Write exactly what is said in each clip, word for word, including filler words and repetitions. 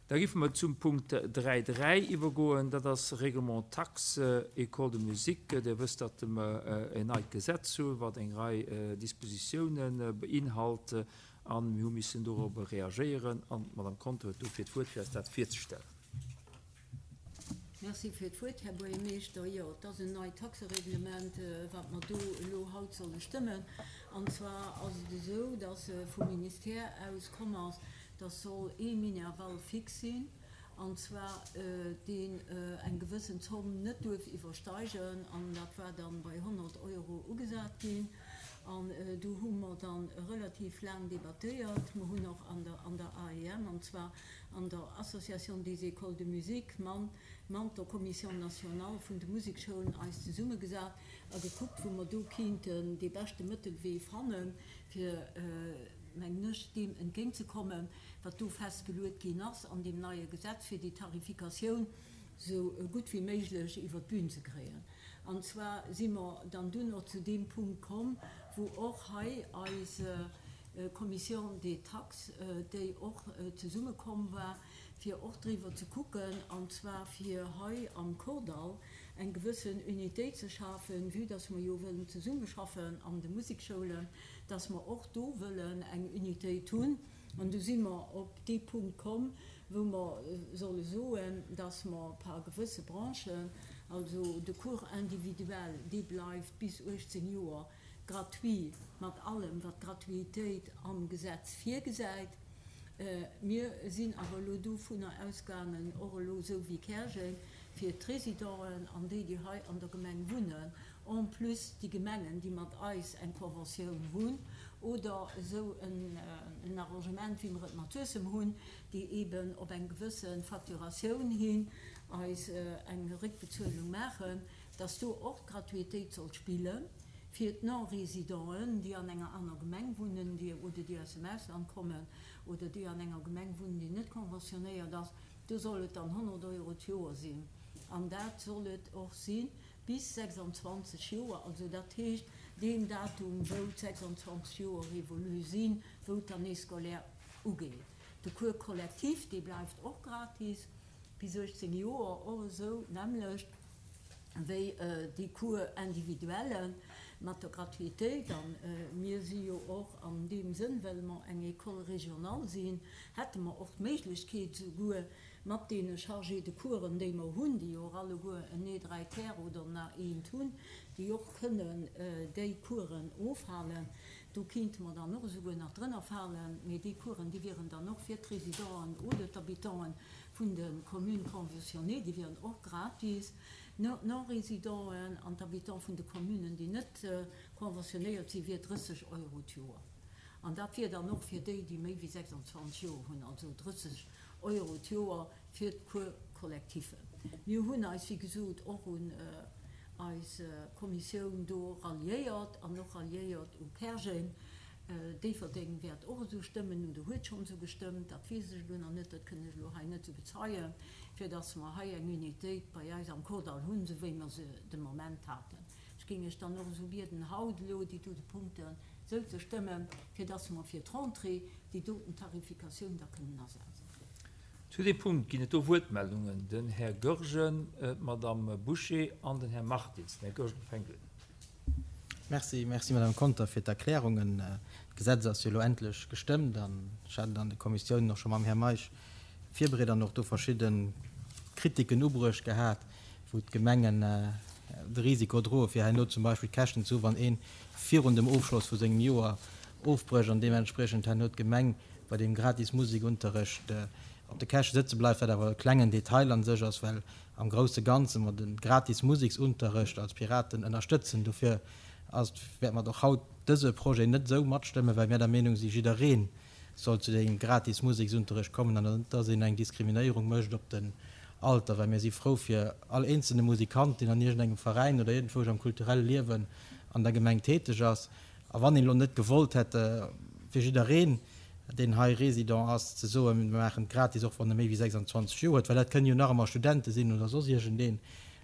Da géife mer zum Punkt dräi dräi iwwergoen, dat ass Règlement Taxe École de musique. Dir wësst, datt mer en neit Gesetz hunn, wat eng Rei Dispositiounen beinhalt, a mir hu missen dorobber reagéieren. An d'Madame Conter huet dofir d'Wuert, fir eis dat virzestellen. Merci fir d'Wuert, Här Buergermeeschter. Jo, et ass en neit Taxereglement, wat mer do elo haut solle stëmmen. An zwar ass et esou, dass vum Ministère aus komm ass, dass soll ee Minerval fix sinn, an zwar deen eng gewëssen Zomm net duerf iwwersteigen, an dat war dann bei honnert Euro ugesat ginn. An do hu mer dann relativ laang debattéiert. Mer hunn och an der, an der A E M, an zwar an der Association des Écoles de musique, man, mat der Commission nationale vun de Musekschoulen eis zesummegesat a gekuckt, wou mer do kinnten dee beschte Mëttelwee fannen, fir, mengen ech, deem entgéintzekommen, wat do festgeluet ginn ass an deem neie Gesetz, fir déi Tarifikatioun sou gutt wéi méiglech iwwer d'Bün ze kréien. An zwar si mer dann dunn och zu deem Punkt komm, wou och hei eis Commission des Taxes, déi och zesummekomm war, fir och driwwer ze kucken, an zwar fir hei am Kordall eng gewëssen Unitéit ze schafen, vue dass mer jo wëllen zesummeschaffen an de Musekschoulen, dass mer och do wëllen eng Unitéit hunn. An du si mer op dee Punkt komm, wou mer solle soen, dass mer par gewësse Branchen, also de Cours individuel, dee bleift bis uechtzéng Joer gratuit, mat allem, wat d'Gratuitéit am Gesetz virgesäit. Mir sinn awer elo dovunner ausgaangen, och elo esou wéi Käerjeng, fir d'Résidenten an déi, déi hei an der Gemeng wunnen, en plus déi Gemengen, déi mat eis eng Conventioun hunn oder esou en Arrangement, wéi mer et mat Suessem hunn, déi eben op eng gewësse Facturatioun hin eis eng Réckbezuelung maachen, dass do och d'Gratuitéit soll spillen fir d'Non-Résidenten, déi an enger aner Gemeng wunnen, déi oder déi aus dem Ausland kommen oder déi an enger Gemeng wunnen, déi net conventionnéiert ass. Do soll et dann honnert Euro d'Joer sinn. An dat soll et och sinn bis sechsundzwanzeg Joer, also dat heescht deen Datum, wou d'sechsundzwanzeg Joer révolu sinn, wou d'Année scolaire ugeet. De Cours collectif, dee bleift och gratis bis uechtzéng Joer, och esou nämlech wéi déi Cours individuellen mat der Gratuitéit. An mir si jo och an deem Sënn, well mer eng École régionale sinn, hätte mer och d'Méiglechkeet souguer mat deene Chargés de Coursen, déi mer hunn, déi jo och alleguer en E dräi ter oder en A eent hunn, déi och kënnen déi Coursen ofhalen. Do kéinte mer dann och esouguer nach drënner falen, mee déi Coursen, déi wieren dann och fir d'Résidenten oder d'Habitants vun de Communes conventionnées, déi wieren och gratis. Non-Résidenten an d'Habitants vun de Communen, déi net conventionnéiert sinn, wier drësseg Euro d'Joer. An dat wier dann och fir déi, déi méi wéi sechsundzwanzeg Joer hunn, also drësseg Euro d'Joer fir d'Cours collectifen. Mir hunn eis, wéi gesot, och un eis Kommissioun do ralliéiert an och ralliéiert u Käerjeng. Déifferdeng wäert och esou stëmmen, oder huet schonn esou gestëmmt, dat weess ech elo nach net, dat kënn ech elo hei net esou bezeien, fir dass mer hei eng Unitéit bei eis am Kordall hunn, esou wéi mer se de Moment haten. Ech géing iech dann och esou bieden, haut elo déi dote Punkten esou ze stëmmen, fir dass mer fir d'Rentrée déi doten Tarifikatioun da kënnen asetzen. Zu deem Punkt ginn et do Wuertmeldungen. Den Här Goergen, d'Madame Bouché an den Här Martins. Den Här Goergen fänkt un. Merci, merci Madame Conter fir d'Erklärungen. D'Gesetz ass jo elo endlech gestëmmt an ech hat et an de Kommissiounen och scho mam Här Meisch virbereet an och do verschidde Kritiken ubruecht gehat, wou d'Gemengen de Risiko droe fir herno zum Beispill Käschten ze hu wann ee virun dem Ofschloss vu sengem Joer ofbrécht an deementspriechend herno d'Gemeng bei deem gratis Musikunterrecht op de Käschte sëtze bleift, wat awer e klengen Detail an sech ass, well am grousse Ganze mer de gratis Musiksunterrecht als Piraten ënnerstëtzen. Dofir ass, wäerte mer och haut dëse Projet net esou matstëmmen, well mir der Meenung si jiddereen soll zu deem gratis Musiksunterrecht kommen an net, dass een eng Diskriminéierung mécht op den Alter, well mir si frou fir all eenzelne Musikant, deen an iergendengem Veräin oder iergendwou am kulturelle Liewen an der Gemeng täteg ass. A wann een elo net gewollt hätt, fir jiddereen, deen hei Résident ass, ze soen, mir maachen et gratis, och wann e méi wéi sechsundzwanzeg Joer huet, well dat kënnen jo nach ëmmer Studente sinn oder soss iergendeen,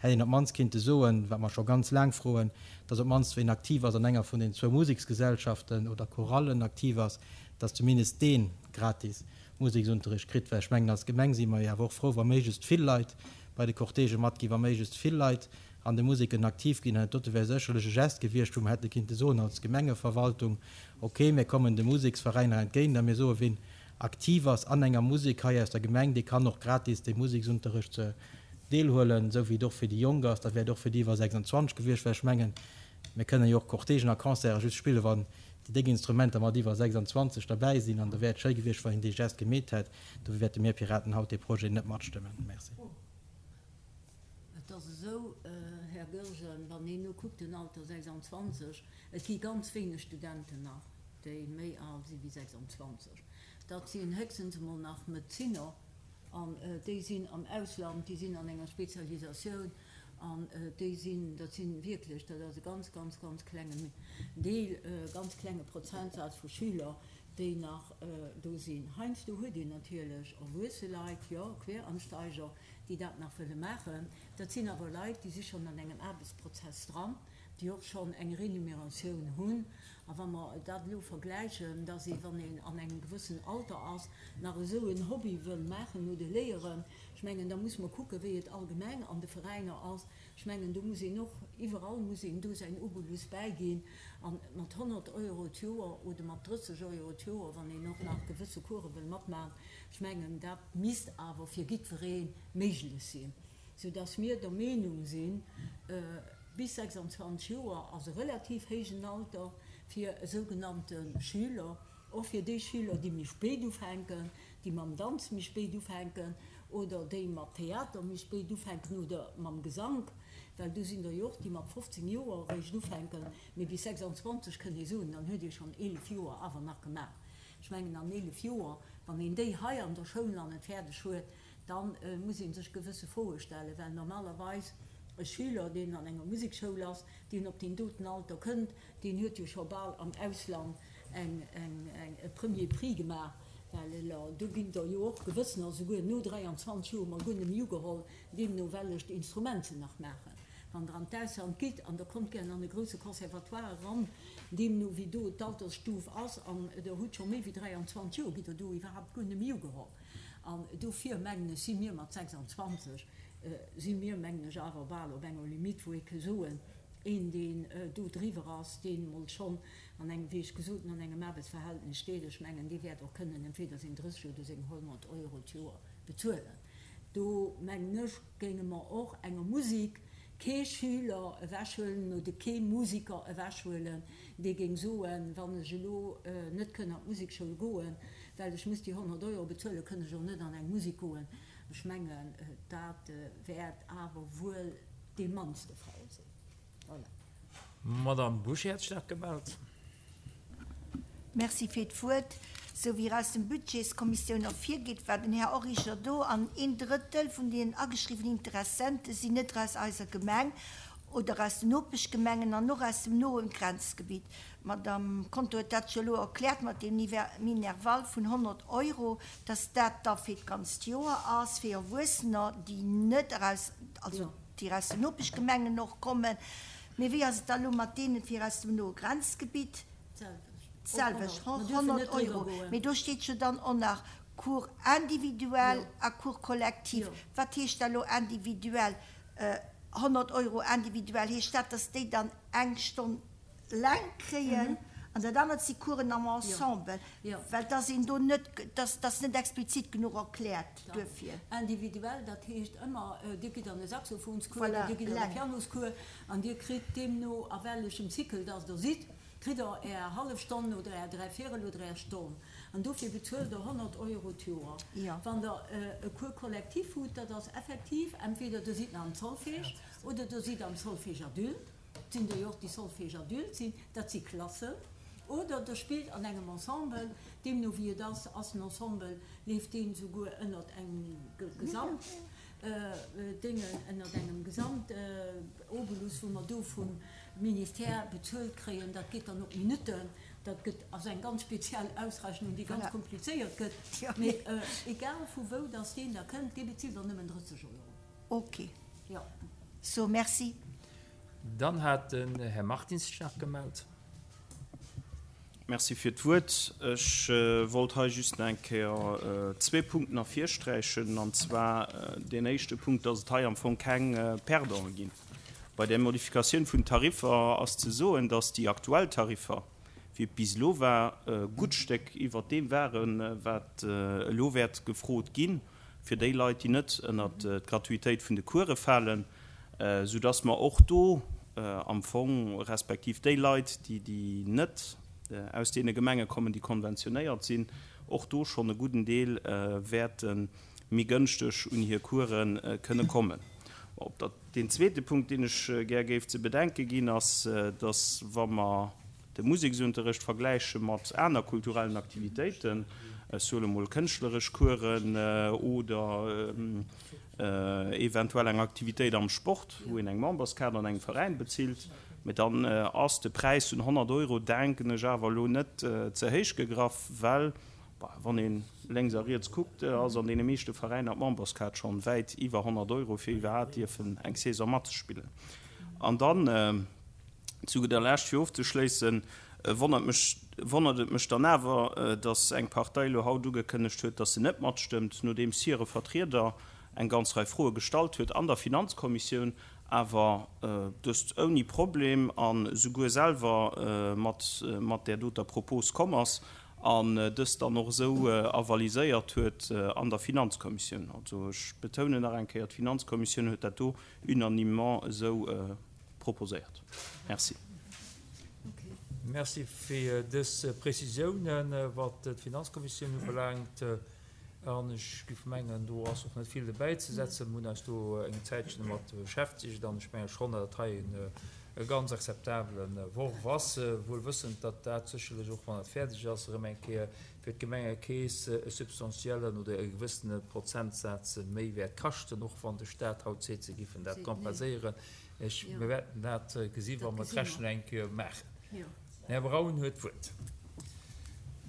hätt een op d'mannst kinnte soen, wat mer scho ganz laang froen, dass op d'mannst, ween aktiv ass an enger vun den zwou Museksgesellschaften oder Chorallen aktiv ass, dass zumindest deen gratis Museksunterricht kritt. Well ech mengen, als Gemeng si mer jo awer och frou, wa méiglechst vill Leit bei de Cortègë matginn, wa méiglechst vill Leit an de Museken aktiv ginn. An dat dote wär sécherlech e Gest gewiescht, wou mer hätte kinnte soen als Gemengeverwaltung, Okay, mir kommen de Museksveräiner entgéint a mir soen, wien aktiv ass an enger Musek hei aus der Gemeng, dee kann och gratis dee Museksunterricht deelhuelen, esou wéi et och fir déi Jonk ass. Dat wär et och fir déi iwwer sechsundzwanzeg gewiescht, well ech mengen, mir kënnen jo och Cortègen a Concerte just spillen, wann déi déck Instrumenter mat iwwer sechsundzwanzeg derbäi sinn. An da wär et schéi gewiescht, wann een dee Gest gemeet hätt. Dofir wäerte mir Piraten haut dee Projet net matstëmmen. Merci. Et ass esou, Här Goergen, wann een elo kuckt, den Alter sechsundzwanzeg, et gi ganz wéineg Studenten nach, déi méi al si wéi sechsundzwanzeg. Dat sinn héchstens emol nach Medezinner, an déi sinn am Ausland, déi sinn an enger Spezialisatioun, an déi sinn, dat si wierklech, dat ass e ganz, ganz, ganz klengen Deel, e ganz klenge Prozentsaz vu Schüler, déi nach do sinn. Heiansdo huet een natierlech erwuesse Leit, jo, Queransteiger, déi dat nach wëlle maachen. Dat sinn awer Leit, déi si schonn an engem Aarbechtsprozess dran, déi och schonn eng Renumeratioun hunn. A wa mer dat elo vergläichen, dass ee, wann een an engem gewëssen Alter ass, nach esou en Hobby wëll maachen oder léieren, ech mengen, da muss mer kucken, wéi et allgemeng an de Veräiner ass. Ech mengen, do muss een och, iwwerall muss een do säin Obolus bäiginn. A mat honnert Euro d'Joer oder mat drësseg Euro d'Joer, wann een och nach gewësse Course wëll matmaachen, ech mengen, dat misst awer fir jiddweree méiglech sinn, soudass mir der Meenung sinn, bis sechsundzwanzeg Joer ass e relativ héijen Alter fir e sougenannte Schüler, och fir déi Schüler, déi méi spéit ufänken, déi mam Danz méi spéit ufänken oder déi mat Theater méi spéit ufänken oder mam Gesank, well do sinn der jo och, déi mat fofzéng Joer eréischt ufänken, mee bis sechsundzwanzeg kënnt ee soen, dann huet ee schonn eelef Joer awer nach gemaach. Ech mengen, an eelef Joer, wann een déi hei an der Schoul nach net fäerdeg huet, da muss ee sech gewësse Froe stellen, well normalerweis e Schüler, deen an enger Musekschoul ass, deen op deen doten Alter kënnt, deen huet jo scho bal am Ausland eng, eng, eng, e Premier Prix gemaach, well elo, do ginn der jo och gewëssener esouguer no dräianzwanzeg Joer mol guer net méi ugeholl, deemno wellecht Instrument se nach maachen. Wann Der an d'Ausland gitt an Der kommt gären an e grousse Conservatoire eran, deemno wéi do d'Altersstuf ass, an Der hutt scho méi wéi dräianzwanzeg Joer, gitt Der do iwwerhaapt guer net méi ugeholl. An dofir, mengen ech, si mir mat sechsundzwanzeg, si mir, mengen ech, awer bal op enger Limite, wou ee ke soen, een, deen do driwwer ass, deen emol schonn an engem, wéi ech gesot hunn, an engem Aarbechtsverhältnis steet, ech mengen, dee wäert och kënnen entweder seng drësseg oder seng honnert Euro d'Joer bezuelen. Do, mengen ech, géinge mer och enger Musek kee Schüler ewechhuelen oder kee Musiker ewechhuelen, dee géing soen, wann ech elo net kënn an d'Musekschoul goen, well ech muss déi honnert Euro bezuelen, kënn ech och net an eng Musek goen. Ech mengen, dat wäert awer wuel dee mannste Fall sinn. Voilà. D'Madame Bouché hat sech nach gemellt. Merci fir d'Wuert. Sou wéi aus dem Budgetskommissioun ervirgeet, war den Här Origer do an een Drëttel vun den ageschriwwenen Interessente sinn net aus eiser Gemeng oder aus den Nopeschgemengen an och aus dem noen Grenzgebitt. D'Madame Conter huet dat jo elo erkläert mat deem Minerval vun honnert Euro, dass dat da fir d'ganzt Joer ass, fir Erwuessener, déi net eraus, also déi aus den Nopeschgemengen och kommen. Mee wéi ass et da elo mat deenen fir aus dem noe Grenzgebitt? D'selwecht, honnert Euro. Mee do steet jo dann och nach Cours individuel a Cours collectif. Wat heescht da elo individuel? Honnert Euro individuell, heescht dat, dass déi dann eng Stonn eleng kréien an dat anert si Coursen am Ensemble? Well dass een do net, dass ass net explizit genuch erkläert duerfir. Individuell, dat heescht ëmmer, Dir gitt an e Saxophonscours oder Dir gitt an e Pianoscours an Dir kritt deemno, a wellechem Cycle dass Der sidd, kritt Der Är hallef Stonn oder Är dräivéierel oder Är Stonn. An dofir bezuelt Der honnert Euro d'Joer. Wann Der e Cours collectif hutt, dat ass effektiv, entweder Der sidd nach am Solfège oder Der sidd am Solfège adulte, et sinn der jo och, déi Solfège adulte sinn, dat si Klassen, oder Der spillt an engem Ensemble, deemno wéi et ass, ass den Ensemble, leeft deen souguer ënnert engem Gesamt. Déngen ënnert engem Gesamtobolus, wou mer do vum Ministère bezuelt kréien. Dat geet dann op Minutten. Dat gëtt, ass eng ganz speziell Ausrechnung, déi ganz komplizéiert gëtt. Mee egal vu wou dass deen da kënnt, dee bezilt dann nëmmen drësseg Euro. Ok. Jo. So, merci. Dann hat den Här Martins sech nach gemellt. Merci fir d'Wuert. Ech wollt hei just nach eng Kéier zwee Punkten ervirsträichen, an zwar deen éischte Punkt, dass et hei am Fong keng Perdante ginn. Bei der Modifikatioun vun Tariffer ass ze soen, dass déi aktuell Tariffer, wéi et bis elo war, e gutt Stéck iwwert deem waren, wat elo wäert gefrot ginn, fir déi Leit, déi net ënnert d'Gratuitéit vun de Course falen, soudass mer och do am Fong, respektiv déi Leit, déi net aus deene Gemenge kommen, déi konventionéiert sinn, och do schonn e gudden Deel wäerte méi gënschteg un hir Course kënne kommen. Op der, deen zweete Punkt, deen ech gär géif ze bedenke ginn, ass, dass, wa mer de Museksunterrecht vergläiche mat aner kulturellen Aktivitéiten, ech soe mol kënschtleresch Coursen oder eventuell eng Aktivitéit am Sport, wou een eng Memberskaart an engem Veräin bezilt, mä dann ass de Präis vun honnert Euro, denken ech, awer elo net ze héich gegraff, well, wann ee lénks a riets kuckt, ass an deene meeschte Veräiner d'Memberskaart schonn wäit iwwer honnert Euro, fir iwwerhaapt dierfen eng Saison matzespillen. An dann zu gudder Lescht, fir ofzeschléissen, wonnert mech, wonnert et mech dann awer, dass eng Partei elo haut ugekënnegt huet, dass se net matstëmmt, nodeems hire Vertrieder eng ganz Rei Froe gestallt huet an der Finanzkommissioun, awer dëst ouni Problem a souguer selwer mat, mat där doter Propos komm ass an dëst dann och esou avaliséiert huet an der Finanzkommissioun. Also ech betounen nach eng Kéier, d'Finanzkommissioun huet dat do unanimement esou proposéiert. Merci. Merci fir dës Prezisiounen, wat d'Finanzkommissioun ubelaangt. An ech géif mengen, do ass och net vill dobäizesetzen. Mir hunn eis do eng Zäitchen domat beschäftegt an ech menge schonn, datt dat hei e ganz akzeptabele Worf ass, wuel wëssend, datt dat sécherlech och, wann et fäerdeg ass, erëm eng Kéier fir d'Gemengekeess e substantiellen oder e gewëssene Prozentsaz méi wäert kaschten, och wann de Stat haut seet, se géifen dat kompenséieren. Ech, mir wäerten dat gesi wa mer d'Rechnung eng Kéier maachen. Den Här Braun huet d'Wuert.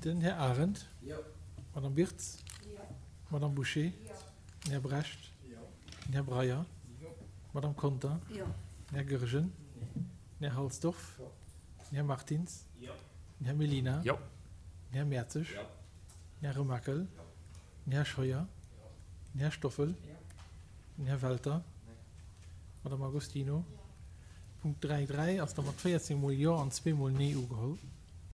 Den Här Arendt. Madame Birtz. Madame Bouché. Den Här Brecht. Den Här Breyer. Madame Conter. Den Här Goergen. Den Här Halsdorf. Den Här Martins. Den Här Mellina. Den Här Mertzig. Den Här Remakel. Den Här Scheuer. Den Här Stoffel. Den Här Welter. Madame Agostino. Punkt dräi dräi ass da mat véierzéng Mol Jo an zwee Mol Nee ugeholl.